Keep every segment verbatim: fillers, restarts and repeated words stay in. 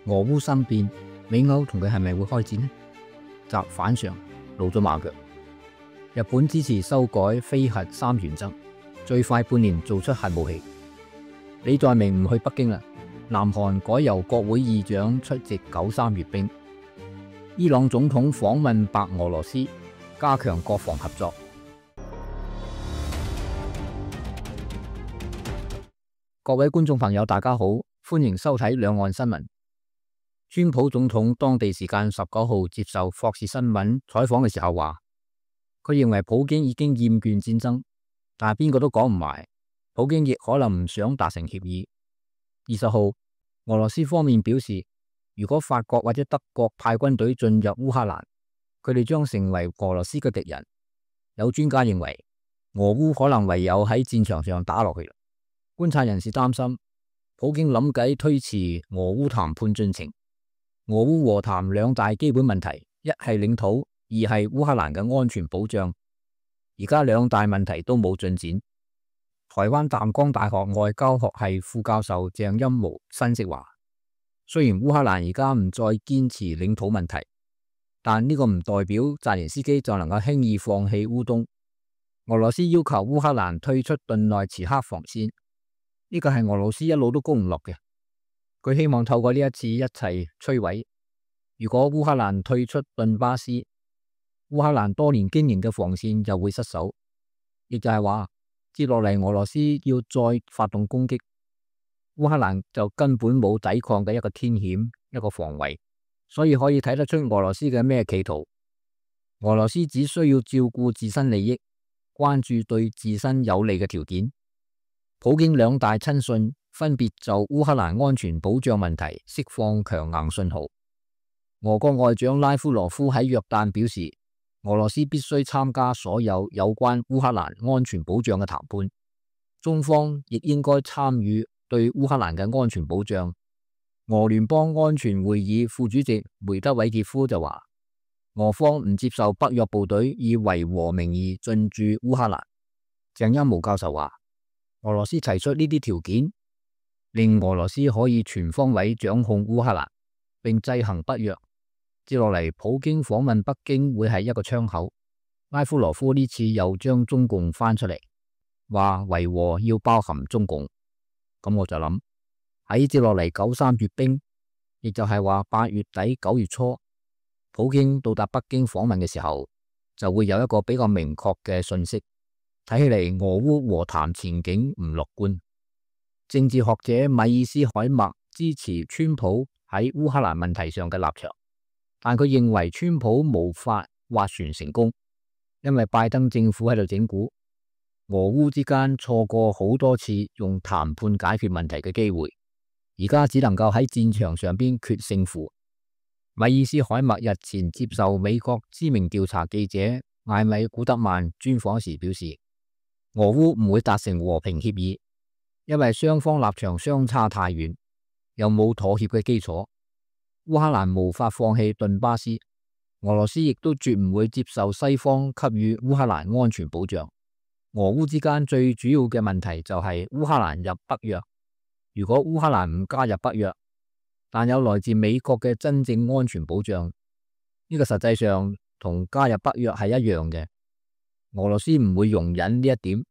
俄烏生變，美歐同佢係咪會開戰呢？習反常，露咗馬腳。日本支持修改非核三原則，最快半年做出核武器。李在明唔去北京啦，南韓改由國會議長出席九三閱兵。伊朗總統訪問白俄羅斯，加強國防合作。各位觀眾朋友，大家好，歡迎收睇兩岸新聞。川普總統當地時間十九號接受霍士新聞採訪嘅時候話，佢認為普京已經厭倦戰爭，但係邊個都講唔埋，普京亦可能唔想達成協議。二十號，俄羅斯方面表示，如果法國或者德國派軍隊進入烏克蘭，佢哋將成為俄羅斯嘅敵人。有專家認為，俄烏可能唯有喺戰場上打落去。觀察人士擔心，普京諗計推遲俄烏談判進程。俄烏和談兩大基本問題，一係領土，二係烏克蘭嘅安全保障。而家兩大問題都冇進展。台灣淡江大學外交學系副教授鄭欽模分析話，雖然烏克蘭而家唔再堅持領土問題，但呢個唔代表澤連斯基就能夠輕易放棄烏東。俄羅斯要求烏克蘭退出頓內茨克防線，呢個係俄羅斯一路都攻唔落嘅。佢希望透過呢一次一齊摧毀。如果烏克蘭退出頓巴斯，烏克蘭多年經營嘅防線就會失守，亦就係話接落嚟俄羅斯要再發動攻擊，烏克蘭就根本冇抵抗嘅一個天險，一個防衛。所以可以睇得出俄羅斯嘅咩企圖。俄羅斯只需要照顧自身利益，關注對自身有利嘅條件。普京兩大親信分別就烏克蘭安全保障問題釋放強硬信號。俄國外長拉夫羅夫喺約旦表示，俄羅斯必須參加所有有關烏克蘭安全保障嘅談判，中方亦應該參與對烏克蘭嘅安全保障。俄聯邦安全會議副主席梅德韋傑夫就話，俄方唔接受北約部隊以維和名義進駐烏克蘭。鄭欽模教授話，俄羅斯提出呢啲條件，令俄羅斯可以全方位掌控烏克蘭，並制衡北約。接落嚟，普京訪問北京會係一個窗口。拉夫羅夫呢次又將中共翻出嚟，話維和要包含中共。咁我就諗喺接落嚟九三閱兵，亦就係話八月底九月初，普京到達北京訪問嘅時候，就會有一個比較明確嘅信息。睇起嚟俄烏和談前景唔樂觀。政治學者米爾斯海默支持川普喺烏克蘭問題上嘅立場，但佢認為川普無法斡旋成功，因為拜登政府喺度整蠱，俄烏之間錯過好多次用談判解決問題嘅機會，而家只能夠喺戰場上邊決勝負。米爾斯海默日前接受美國知名調查記者艾米古德曼專訪時表示，俄烏唔會達成和平協議，因為雙方立場相差太遠，又冇妥協嘅基礎。烏克蘭無法放棄頓巴斯，俄羅斯亦都絕唔會接受西方給予烏克蘭安全保障。俄烏之間最主要嘅問題就係烏克蘭入北約。如果烏克蘭唔加入北約，但有來自美國嘅真正安全保障，呢個實際上同加入北約係一樣嘅。俄羅斯唔會容忍呢一點。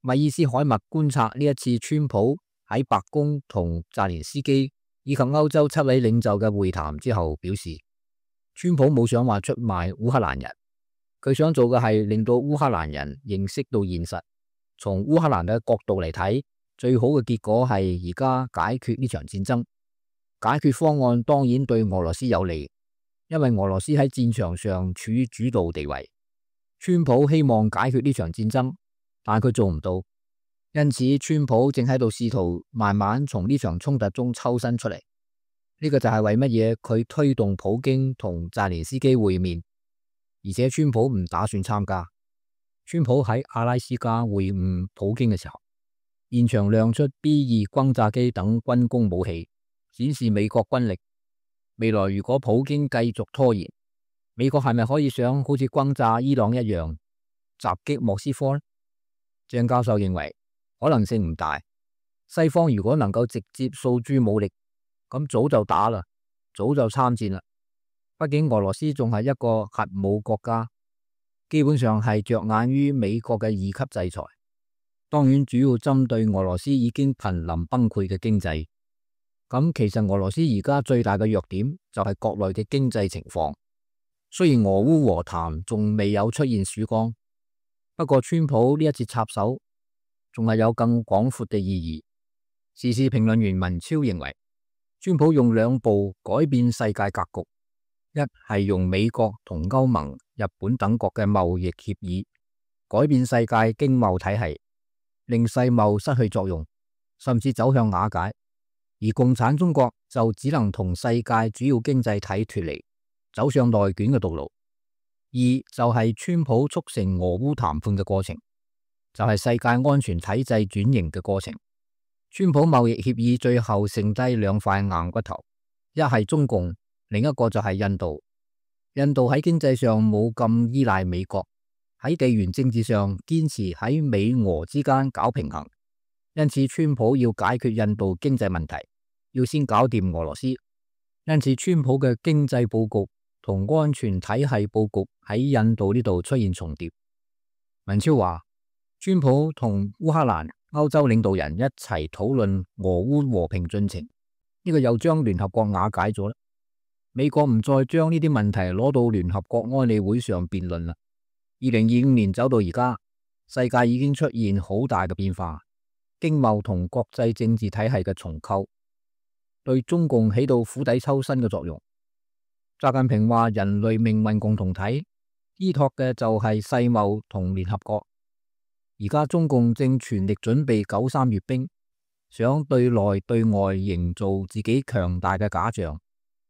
米爾斯海默觀察呢一次川普喺白宮同澤連斯基以及歐洲七位領袖嘅會談之後表示，川普冇想話出賣烏克蘭人，佢想做嘅係令到烏克蘭人認識到現實。從烏克蘭嘅角度嚟睇，最好嘅結果係而家解決呢場戰爭。解決方案當然對俄羅斯有利，因為俄羅斯喺戰場上處於主導地位。川普希望解決呢場戰爭，但佢做唔到，因此川普正喺度試圖慢慢從呢場衝突中抽身出嚟。呢個就係為乜嘢佢推動普京同澤連斯基會面，而且川普唔打算參加。川普喺阿拉斯加會晤普京嘅時候，現場亮出 B 二轟炸機等軍工武器，顯示美國軍力。未來如果普京繼續拖延，美國係咪可以想好似轟炸伊朗一樣襲擊莫斯科呢？鄭教授認為可能性唔大。西方如果能夠直接訴諸武力，咁早就打啦，早就參戰啦。畢竟俄羅斯仲係一個核武國家，基本上係着眼於美國嘅二級制裁。當然主要針對俄羅斯已經瀕臨崩潰嘅經濟。咁其實俄羅斯而家最大嘅弱點就係國內嘅經濟情況。雖然俄烏和談仲未有出現曙光，不過川普呢一次插手仲係有更廣闊嘅意義。時事評論員文超認為，川普用兩步改變世界格局，一係用美國同歐盟、日本等國嘅貿易協議改變世界經貿體系，令世貿失去作用，甚至走向瓦解。而共產中國就只能同世界主要經濟體脫離，走上內卷嘅道路。二就係川普促成俄烏談判嘅過程，就係世界安全體制轉型嘅過程。川普貿易協議最後剩低兩塊硬骨頭，一係中共，另一個就係印度。印度喺經濟上冇咁依賴美國，喺地緣政治上堅持喺美俄之間搞平衡，因此川普要解決印度經濟問題，要先搞掂俄羅斯。因此川普嘅經濟布局同安全體系布局喺印度呢度出現重疊。文超話，川普同烏克蘭、歐洲領導人一齊討論俄烏和平進程，呢個又將聯合國瓦解咗啦。美國唔再將呢啲問題攞到聯合國安理會上辯論啦。二零二五年走到而家，世界已經出現好大嘅變化，經貿同國際政治體系嘅重構，對中共起到釜底抽薪嘅作用。習近平話人類命運共同體依託嘅就係世貿同聯合國。而家中共正全力準備九三閱兵，想對內對外營造自己強大嘅假象，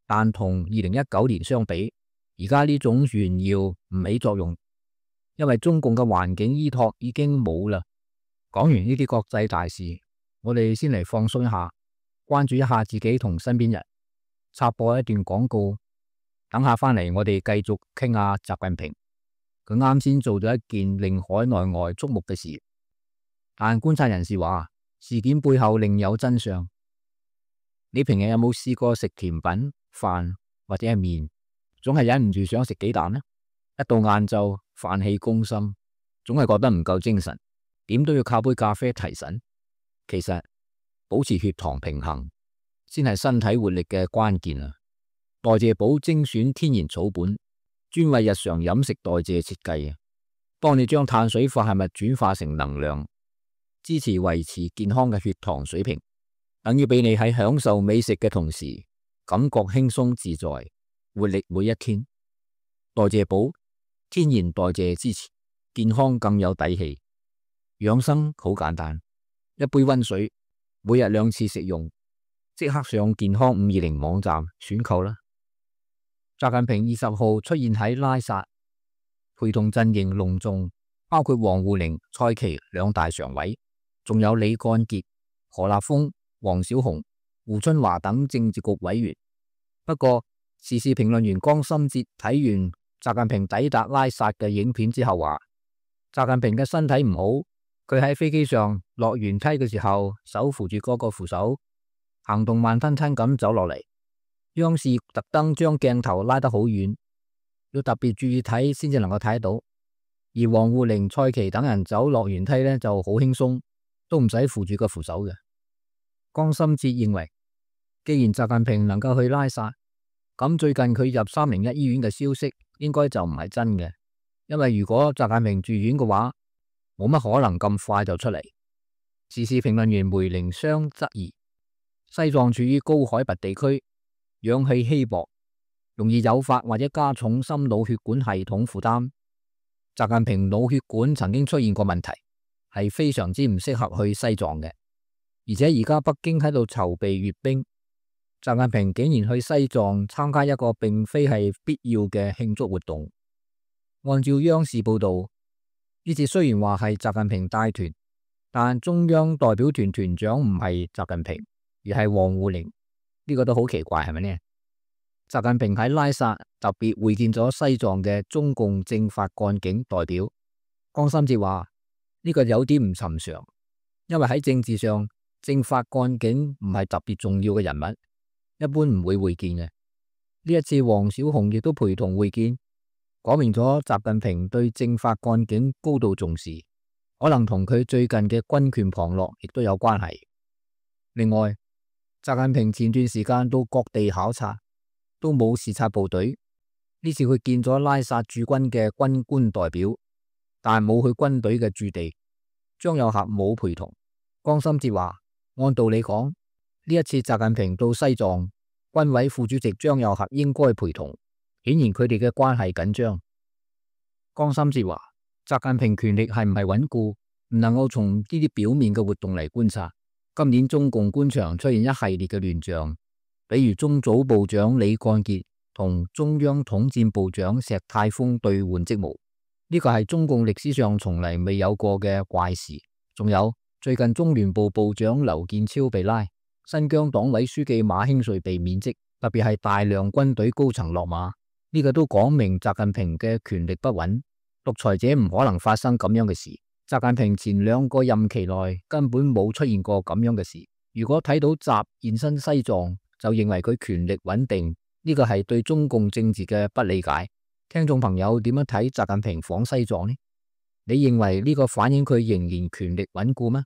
但同二零一九年相比，而家呢種炫耀唔起作用，因為中共嘅環境依託已經冇啦。講完呢啲國際大事，我哋先嚟放鬆一下，關注一下自己同身邊人。插播一段廣告，等下翻嚟我哋繼續傾下習近平。佢啱先做咗一件令海內外矚目嘅事，但觀察人士話事件背後另有真相。你平日有冇試過食甜品、飯或者係麵，總係忍唔住想食雞蛋呢？一到晏晝飯氣攻心，總係覺得唔夠精神，點都要靠杯咖啡提神。其實保持血糖平衡先係身體活力嘅關鍵啊！代謝寶精選天然草本，專為日常飲食代謝設計，幫你將碳水化合物轉化成能量，支持維持健康嘅血糖水平，等於俾你喺享受美食嘅同時，感覺輕鬆自在，活力每一天。代謝寶天然代謝支持，健康更有底氣。養生好簡單，一杯溫水，每日兩次食用，即刻上健康五二零網站選購啦。習近平二十號出現喺拉薩，陪同陣營隆重，包括王滬寧、蔡奇兩大常委，仲有李幹傑、何立峰、王小洪、胡春華等政治局委員。不過，時事評論員江心哲睇完習近平抵達拉薩嘅影片之後話，習近平嘅身體唔好，佢喺飛機上落舷梯嘅時候，手扶住嗰個扶手，行動慢吞吞咁走落嚟。央視特登將鏡頭拉得好遠，要特別注意睇先至能夠睇得到。而王滬寧、蔡奇等人走落舷梯呢就好輕鬆，都唔使扶住個扶手嘅。江心哲認為，既然習近平能夠去拉薩，咁最近佢入三零一醫院嘅消息應該就唔係真嘅，因為如果習近平住院嘅話，冇乜可能咁快就出嚟。時事評論員梅凌湘質疑，西藏處於高海拔地區，氧氣稀薄，容易誘發或者加重心腦血管系統負擔。習近平腦血管曾經出現過問題，係非常之唔適合去西藏嘅。而且而家北京喺度籌備閱兵，習近平竟然去西藏參加一個並非係必要嘅慶祝活動。按照央視報道，呢次雖然話係習近平帶團，但中央代表團團長唔係習近平，而係王滬寧。呢個都好奇怪，係咪呢？習近平喺拉薩特別會見咗西藏嘅中共政法幹警代表。江心哲話呢個有啲唔尋常，因為喺政治上，政法幹警唔係特別重要嘅人物，一般唔會會見嘅。呢一次王小洪亦都陪同會見，講明咗習近平對政法幹警高度重視，可能同佢最近嘅軍權旁落亦都有關係。另外，習近平前段時間到各地考察，都冇視察部隊。呢次佢見咗拉薩駐軍嘅軍官代表，但冇去軍隊嘅駐地。張又俠冇陪同。江心哲話，按道理講，呢一次習近平到西藏，軍委副主席張又俠應該陪同，顯然佢哋嘅關係緊張。江心哲話，習近平權力係唔係穩固，唔能夠從呢啲表面嘅活動嚟觀察。今年中共官場出現一系列嘅亂象，比如中組部長李幹傑同中央統戰部長石泰峰兌換職務，呢個係中共歷史上從嚟未有過嘅怪事。仲有最近中聯部部長劉建超被拉，新疆黨委書記馬興瑞被免職，特別係大量軍隊高層落馬，呢個都講明習近平嘅權力不穩。獨裁者唔可能發生咁樣嘅事。習近平前兩個任期內根本冇出現過咁樣嘅事。如果睇到習現身西藏，就認為佢權力穩定，呢個係對中共政治嘅不理解。聽眾朋友點樣睇習近平訪西藏呢？你認為呢個反映佢仍然權力穩固嗎？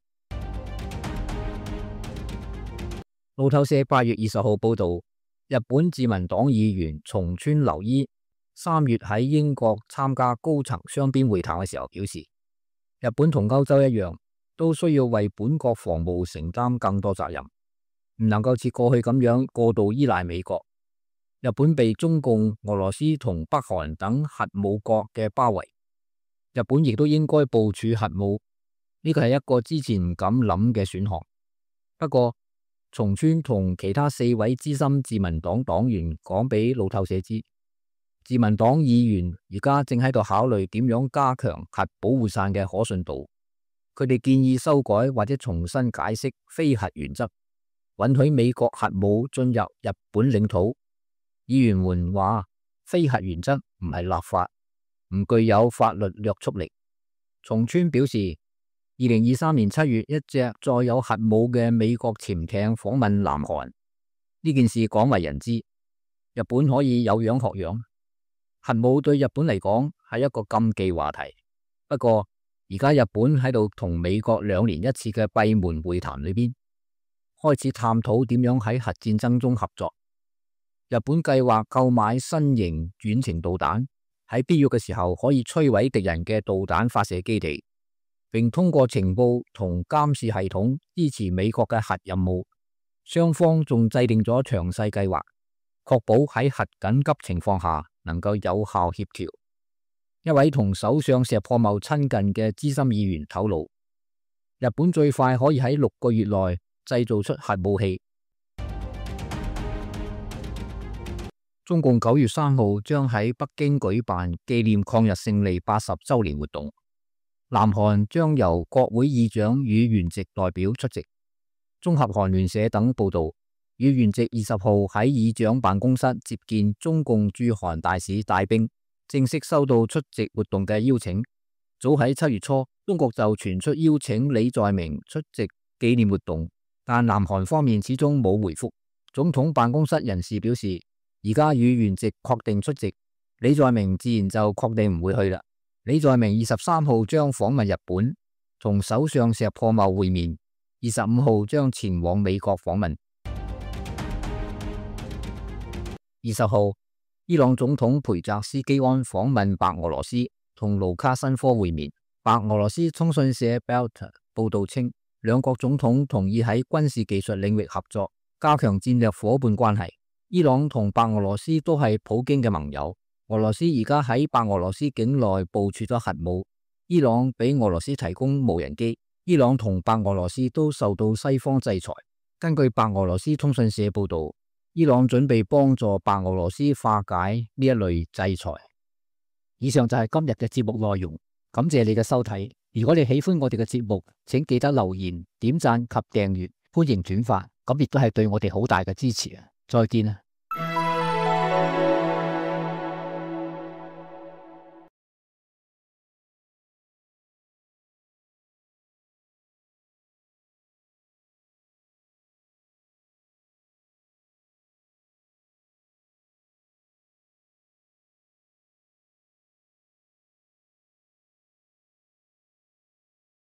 路透社八月二十號報道，日本自民黨議員松村留伊三月喺英國參加高層雙邊會談嘅時候表示，日本同歐洲一樣，都需要為本國防務承擔更多責任，唔能夠似過去咁樣過度依賴美國。日本被中共、俄羅斯同北韓等核武國嘅包圍，日本亦都應該部署核武，呢個係一個之前唔敢諗嘅選項。不過，松村同其他四位資深自民黨黨員講俾路透社知，自民黨議員而家正喺度考慮點樣加強核保護傘嘅可信度。佢哋建議修改或者重新解釋非核原則，允許美國核武進入日本領土。議員們話，非核原則唔係立法，唔具有法律約束力。松村表示，二零二三年七月一隻載有核武嘅美國潛艇訪問南韓，呢件事廣為人知。日本可以有樣學樣。核武對日本嚟講係一個禁忌話題。不過而家日本喺度同美國兩年一次嘅閉門會談裏邊，開始探討點樣喺核戰爭中合作。日本計劃購買新型遠程導彈，喺必要嘅時候可以摧毀敵人嘅導彈發射基地，並通過情報同監視系統支持美國嘅核任務。雙方仲制定咗詳細計劃，確保喺核緊急情況下能夠有效協調。一位同首相石破茂親近嘅資深議員透露，日本最快可以喺六個月內製造出核武器。中共九月三號將喺北京舉辦紀念抗日勝利八十周年活動，南韓將由國會議長宇元直代表出席。綜合韓聯社等報道，宇元直二十號喺議長辦公室接見中共駐韓大使戴兵，正式收到出席活動嘅邀請。早喺七月初，中國就傳出邀請李在明出席紀念活動，但南韓方面始終冇回覆。總統辦公室人士表示，而家宇元直確定出席，李在明自然就確定唔會去啦。李在明二十三號將訪問日本，同首相石破茂會面，二十五號將前往美國訪問。二十號，伊朗總統裴澤斯基安訪問白俄羅斯，同盧卡申科會面。白俄羅斯通訊社 Belta 報道稱，兩國總統同意喺軍事技術領域合作，加強戰略夥伴關係。伊朗同白俄羅斯都係普京嘅盟友。俄羅斯而家喺白俄羅斯境內部署咗核武。伊朗俾俄羅斯提供無人機。伊朗同白俄羅斯都受到西方制裁。根據白俄羅斯通訊社報道，伊朗準備幫助白俄羅斯化解呢一類制裁。以上就係今日嘅節目內容，感謝你嘅收睇。如果你喜歡我哋嘅節目，請記得留言、點讚及訂閱，歡迎轉發，咁亦都係對我哋好大嘅支持啊！再見啊！